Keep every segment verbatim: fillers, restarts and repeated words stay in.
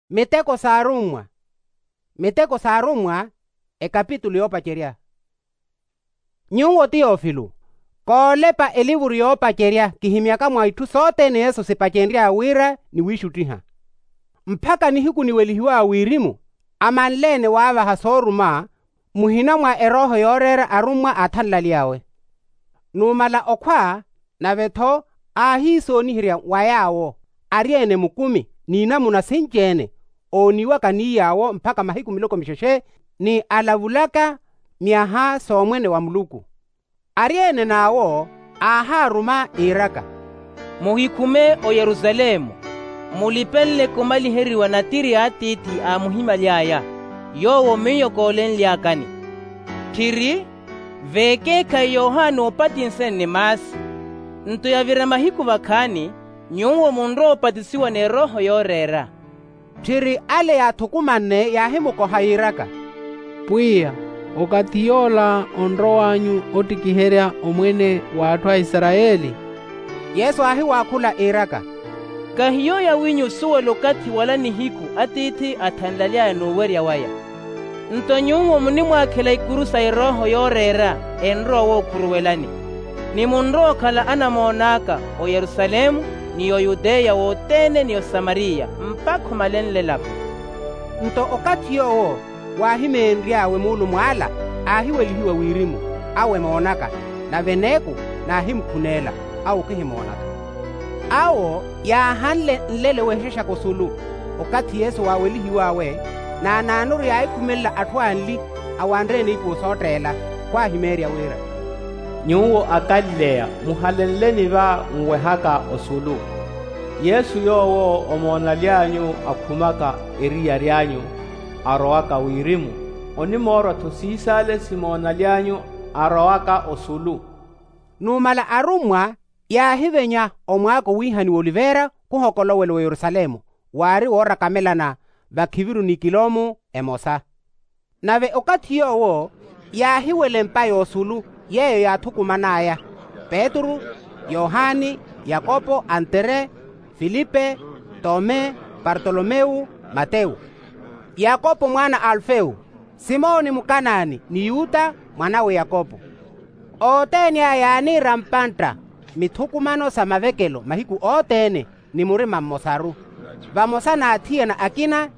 Miteko s'arummwa. Miteko s'arummwa. Ekapitulu yoopacerya. Nyuwo tiyofilo, koolepa elivuru yoopacerya kihimyaka mwa itthu sothene yesu sipacenry'aya wira niwiixuttiha, mpakha nihiku niwelihiw'aya wirimu amanle-ene waavaha sooruma muhina mwa erooho yooreera arummwa aathanlaly'awe. Numala okhwa, nave-tho aahiisooniherya wa yaawo ari-ene mukumi n'inamuna sinci-ene ooniwaka ni yaawo mpakha mahiku miloko mixexe, ni alavulaka myaha s'omwene wa muluku. Ari-ene n'awo aahaaruma iiraka, muhikhume oyerusalemu, mulipenleke omaliheriwa natiri a atiithi aamuhimaly'aya, yoowo miyo koolenly'akani. Tthiri, veekeekhayi yohani oopatinse nni maasi, nto yavira mahiku vakhaani, nyuwo munrowa opatisiwa n'erooho yooreera. Tthiri ale yaathukumanne yaahimukoha yiiraka, pwiya, okathi yoola onrow'anyu ottikiherya omwene w'atthu a isarayeli? Yesu aahiwaakhula iiraka, kahiyo yawinyu osuwela okathi wala nihiku atiithi athanlaly'aya n'uwerya waya. Nto nyuwo munimwaakhela ikuru sa erooho yooreera enrowa wookhuruwelani, ni munrowa okhala anamoon'aka oyerusalemu, ni oyuteya wothene ni osamariya mpakha omalenle elaphu. Nto okathi yoowo waahimeenry'awe muulumw'ala, aahiwelihiwa wirimu, awo emoonaka, nave neeku naahimukhuneela, awo khihimoonaka. Awo yaahanle nlelo wehexexaka osulu, okathi yesu waawelihiw'awe, naanaanuru yaahikhumelela atthu anli awanre eniipuwo sootteela, khwaahimeerya wira, nyuwo akalileya muhalenleni va nwehaka osulu. Yesu yoowo omoonaly'anyu akhumaka eriyari anyu arowaka wirimu, onimoorwa-tho siisaale simoonaly'anyu arowaka osulu. Numala arummwa yaahivenya omwaako wiihaniwa oliveera khuhokolowela oyerusalemu, waari woorakamelana vakhiviru ni kilomu emosa. Nave okathi yoowo yaahiwela empa y'osulu yeeyo yaathukuman'aya, petru, yohani, yakopo, antere, filipe, tome, partolomewu, matewu, yakopo mwaana a alufewu, simoni mukanaani ni yuta mwanawe yakopo. Othene aya yaaniira mpantta mithukumano sa mavekelo mahiku othene, ni murima mmosaru, vamosa n'athiyana akina,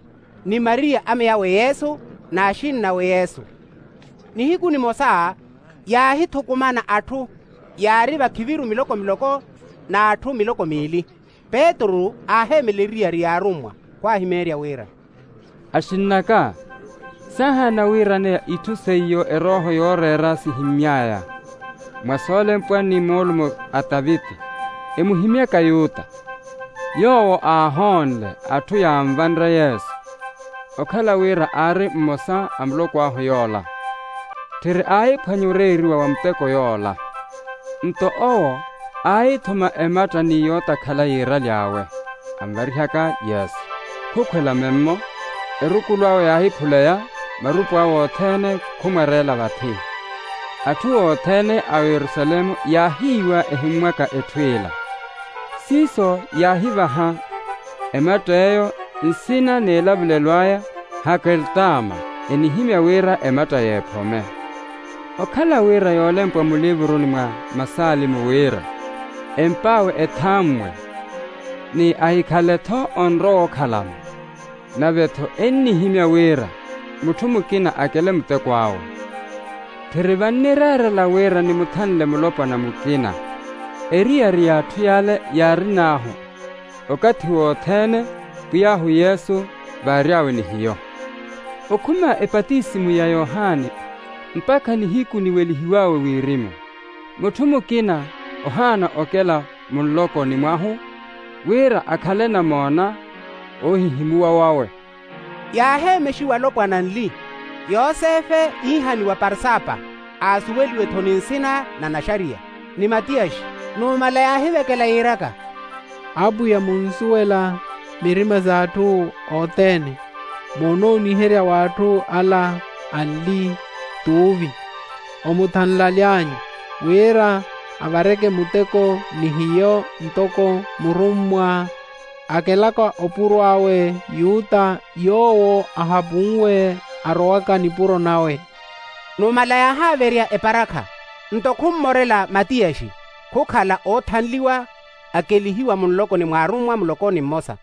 ni mariya ameyawe yesu, n'axinnawe yesu. Nihiku nimosa yaahithukumana atthu yaari vakhiviru miloko miloko, n'atthu miloko miili. Petru aaheemela eriyari y'arummwa, khwaahimeerya wira, axinn'aka, saahaana wiiraneya itthu seiyo erooho yooreera sihimmy'aya mwa soolempwa ni moolumo a taviti, emuhimyaka yuta. Yoowo aahoonle atthu yaanvanre yesu, okhala wira aari mmosa a muloko ahu yoola. Tthiri aahiphwanya oreeriwa wa muteko yoola. Nto owo aahithuma ematta ni yootakhala yiiraly'awe, anvarihaka yesu, khukhwela memmo. Erukulu awe yaahiphuleya, marupu awe othene khumwereela vathi. Atthu othene a oyerusalemu yaahiiwa ehimmwaka etthu ila. Siiso yaahivaha ematt'eyo nsina n'elavulelo aya, hakertama, enihimya wira ematta y'ephome. Okhala wira yoolempwa mulivuruni mwa masaalimu wira, emp'awe ethammwe, ni ahikhale-tho onrowa okhalamo. Nave-tho ennihimya wira mutthu mukina akele muteko awe. Tthiri vannireerela wira nimuthanle mulopwana mukina, eriyari y'atthu yale yaarin'ahu okathi wothene, pwiy'ahu yesu vaary'awe ni hiyo. Okhuma epatisimu ya yohani mpakha nihiku niwelihiw'awe wirimu, mutthu mukina ohaana okela munlokoni mwahu wira akhale namoona oohihimuwa wawe. Yaaheemexiwa alopwana anli, yosefe iihaniwa parsapa, aasuweliwe-tho ni nsina na naxariya, ni matiyaxi. Numala yaahivekela yiiraka, apwiya munsuwela mirima s'atthu othene, moonooniherya w'atthu ala anli t'uvi, omuthanlaly'anyu wira avareke muteko ni hiyo ntoko murummwa akelaka opuro awe yuta yoowo ahapunwe arowaka nipuro nawe. Numala yaahaaverya eparakha, nto khummorela matiyaxi, khukhala oothanliwa akelihiwa munlokoni mw'arummwa mulokoni mmosa.